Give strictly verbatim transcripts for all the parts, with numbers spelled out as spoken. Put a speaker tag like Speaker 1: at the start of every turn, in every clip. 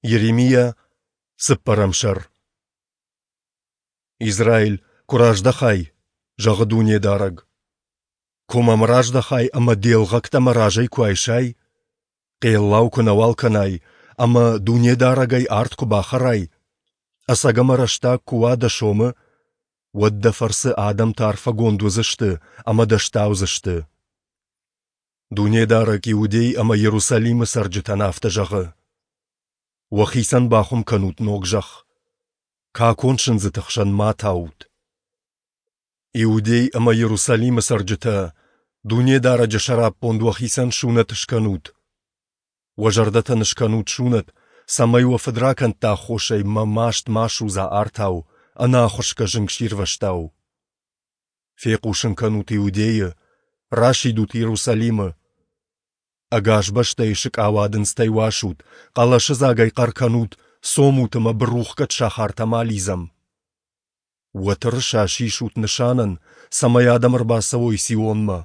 Speaker 1: Йеремиа, цыппӕрӕм сӕр. Израил, куы раздӕхай, зӕгъы Дунедарӕг, куы мӕм раздӕхай ӕмӕ де лгъӕгтӕ мӕ разӕй куы айсай, хъеллау куы нӕуал кӕнай ӕмӕ Дунедарӕгӕй ард куы бахӕрай, ӕцӕг ӕмӕ рӕстаг куы уа дӕ сомы, уӕд дӕ фӕрцы адӕмтӕ арфӕгонд уыдзысты ӕмӕ дӕ стаудзысты. Дунедарӕг Иудей ӕмӕ Иерусалимы цӕрджытӕн афтӕ зӕгъы: Уӕхицӕн бахуым кӕнут ног зӕхх, какон сындзыты хсӕн ма таут. Иудей ӕмӕ Иерусалимы цӕрджытӕ, Дунедарӕджы сӕраппонд уӕхицӕн сунӕт скӕнут. Уӕ зӕрдӕтӕн скӕнут сунӕт, цӕмӕй уӕ фыдракӕндты аххосӕй мӕ маст ма судза артау, ӕнӕахуысгӕ зынгсирвӕзтау. Фехъусын кӕнут Иудейы, расидут Иерусалимы. Ӕгас бӕстӕйы сыкъауадындзтӕй уасут, хъӕлӕсыдзагӕй хъӕр кӕнут, цомут ӕмӕ бырухгӕд сахартӕм алидзӕм. Уӕ тырыса сисут нысанӕн, цӕмӕй адӕм ӕрбацӕуой Сионмӕ.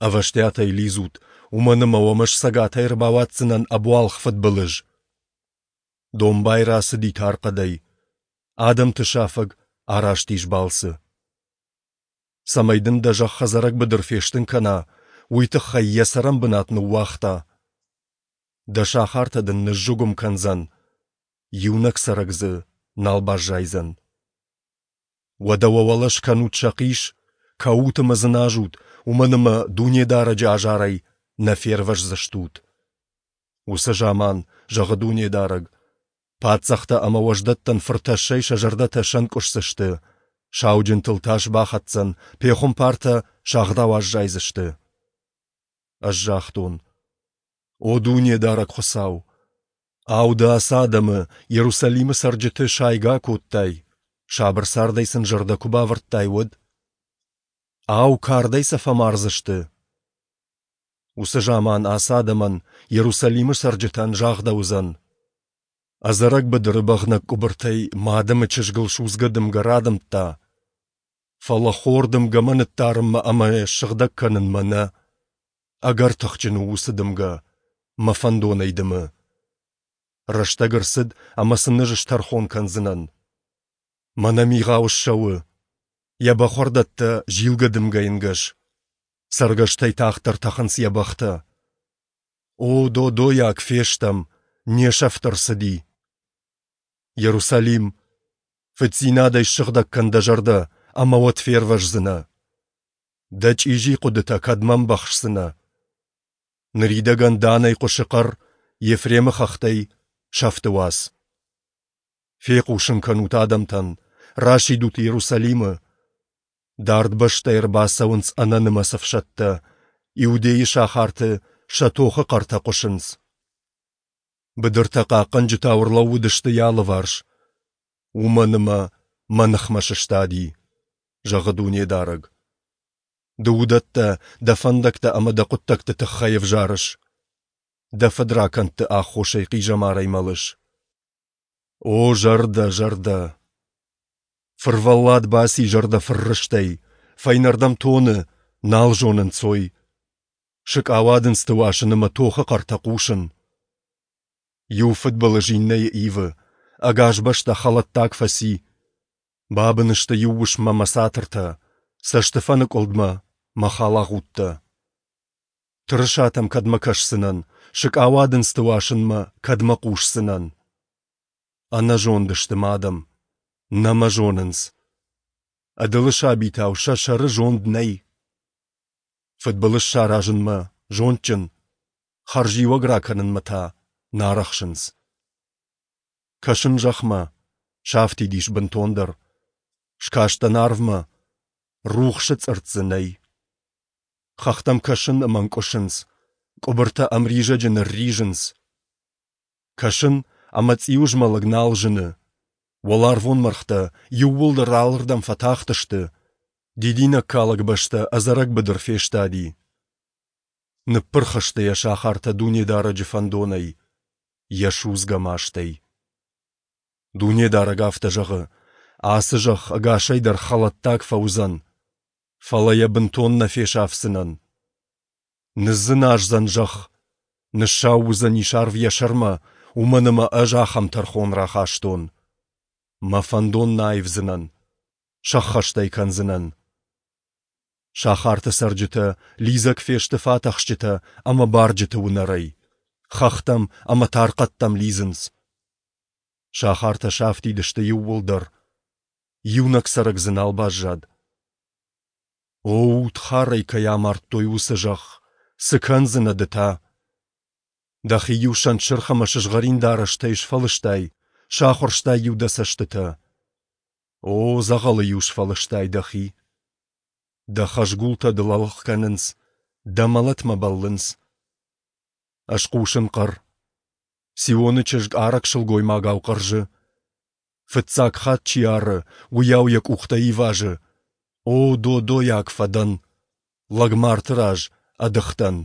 Speaker 1: Ӕвӕстиатӕй лидзут, уымӕн ӕмӕ уӕм ӕз цӕгатӕй ӕрбауадздзынӕн ӕбуалгъ фыдбылыз. Домбай рацыди тархъӕдӕй, адӕмты сафӕг араст ис балцы. Цӕмӕй дын дӕ зӕхх ӕдзӕрӕг быдыр фестын кӕна, уый тыххӕй йӕ цӕрӕнбынат ныууагъта. Дӕ сахартӕ дын ныззыгуым кӕндзӕн, иунӕг цӕрӕг дзы нал баззайдзӕн. Уӕдӕ уӕ уӕлӕ скӕнут сӕхъис, кӕут ӕмӕ дзыназут, уымӕн ӕмӕ Дунедарӕджы азарӕй нӕ фервӕздзыстут. Уыцы заман, зӕгъы Дунедарӕг, паддзӕхтӕ ӕмӕ уӕздӕттӕн фыртӕссӕй сӕ зӕрдӕтӕ сӕнкъуысдзысты, сауджынтыл тас бахӕцдзӕн, пехуымпартӕ сагъдау аззайдзысты. Ӕз загътон: О Дунедарӕг Хуыцау! Ау, ды ацы адӕмы, Иерусалимы цӕрджыты, сайгӕ акодтай, сабыр цардӕй сын зӕрдӕ куы бавӕрдтай, уӕд? Ау, кардӕй сӕ фӕмардзысты? Уыцы заман ацы адӕмӕн, Иерусалимы цӕрджытӕн, загъдӕуыдзӕн: Ӕдзӕрӕг быдыры бӕгънӕг къуыбыртӕй мӕ адӕмы чызгыл судзгӕ дымгӕ радымдта, фӕлӕ хор дымгӕмӕ ныддарынмӕ ӕмӕ йӕ ссыгъдӕг кӕнынмӕ нӕ. Ӕгӕр тыхджын у уыцы дымгӕ, мӕ фӕндонӕй дымы. Рӕстӕг ӕрцыд, ӕмӕ сын ӕз стӕрхон кӕндзынӕн. Мӕнӕ мигъау ссӕуы, йӕ бӕхуӕрдӕттӕ зилгӕ дымгӕйы нгӕс. Цӕргӕстӕй тагъддӕр тӕхынц йӕ бӕхтӕ. О, додойаг фестӕм, не сӕфт ӕрцыди! Иерусалим, фыддзинадӕй ссыгъдӕг кӕн дӕ зӕрдӕ, ӕмӕ уӕд фервӕздзынӕ. Дӕ чъизи хъуыдытӕ кӕдмӕ ӕмбӕхсдзынӕ? Ныридӕгӕн Данӕй хъуысы хъӕр, Ефремы хӕхтӕй сӕфты уац. Фехъусын кӕнут адӕмтӕн, расидут Иерусалимы. Дард бӕстӕй ӕрбацӕуынц ӕнӕнымӕц ӕфсӕдтӕ, Иудейы сахарты сӕ тохы хъӕртӕ хъуысынц. Быдыртӕ хъахъхъӕнджытау ӕрлӕууыдысты йӕ алыварс. Уымӕн ӕмӕ мӕ ныхмӕ сыстади, зӕгъы Дунедарӕг. Ды уыдӕттӕ дӕ фӕндӕгтӕ ӕмӕ дӕ хъуыддӕгты тыххӕй ӕвзарыс. Дӕ фыдракӕндты аххосӕй хъизӕмарӕй мӕлыс. О, зӕрдӕ, зӕрдӕ! Фырвӕллад баци зӕрдӕ фыррыстӕй, фӕйнӕрдӕм тоны, нал зоны нцой. Сыкъауадындзты уасын ӕмӕ тохы хъӕртӕ хъусын. Иу фыдбылыз иннӕйы ивы, ӕгас бӕстӕ хӕлӕттаг фӕци. Бабын сты иу уысммӕ мӕ цатыртӕ, цӕстыфӕныкъуылдмӕ мӕ халагъудтӕ. Тырысатӕм кӕдмӕ кӕсдзынӕн, сыкъауадындзты уасынмӕ кӕдмӕ хъусдзынӕн? Ӕнӕзонд сты мӕ адӕм, нӕ мӕ зонынц. Ӕдылы сабитау сӕ сӕры зонд нӕй. Фыдбылыз саразынмӕ зондджын, хӕрзиуӕг ракӕнынмӕ та нӕ арӕхсынц. Кӕсын зӕхмӕ, сафтид ис бынтондӕр. Скастӕн арвмӕ, рухсы цъыртт дзы нӕй. Хӕхтӕм кӕсын ӕмӕ ӕнкъуысынц, къуыбыртӕ ӕмризӕджы нырризынц. Кӕсын, ӕмӕ цъиуызмӕлӕг нал зыны. Уӕларвон мӕргътӕ иууылдӕр алырдӕм фӕтахтысты, дидинӕгкалӕг бӕстӕ ӕдзӕрӕг быдыр фестади. Ныппырх сты йӕ сахартӕ Дунедарӕджы фӕндонӕй, йӕ судзгӕ мастӕй. Дунедарӕг афтӕ зӕгъы: Ацы зӕхх ӕгасӕй дӕр хӕлӕттаг фӕуыдзӕн, фӕлӕ йӕ бынтон нӕ фесафдзынӕн. Ныдздзыназдзӕн зӕхх, ныссау уыдзӕнис арв йӕ сӕрмӕ, Уымӕн ӕмӕ Ӕз ахӕм тӕрхон рахастон. Мӕ фӕндон нӕ аивдзынӕн, сӕххӕст ӕй кӕндзынӕн. Сахарты цӕрджытӕ лидзӕг фесты фатӕхсджытӕ ӕмӕ барджыты уынӕрӕй, хӕхтӕм ӕмӕ тархъӕдтӕм лидзынц. Сахартӕ сафтид сты иууылдӕр, иунӕг цӕрӕг дзы нал баззад. О, удхарӕй кӕй амардтой, уыцы зӕхх, цы кӕндзынӕ ды та? Дӕхи-иу сӕнтсырх ӕмӕ сызгъӕрин дарӕстӕй сфӕлыстай, сахуырстай-иу дӕ цӕстытӕ. О, дзӕгъӕлы-иу сфӕлыстай дӕхи. Дӕ хӕзгултӕ дыл ӕлгъ кӕнынц, дӕ мӕлӕтмӕ бӕллынц. Ӕз хъусын хъӕр. Сионы чызг арӕг сылгоймагау хъӕрзы. Фыццаг хатт чи ары, уыйау йӕ къухтӕ ивазы. О, додойаг фӕдӕн! Лӕгмарты раз ӕдых дӕн.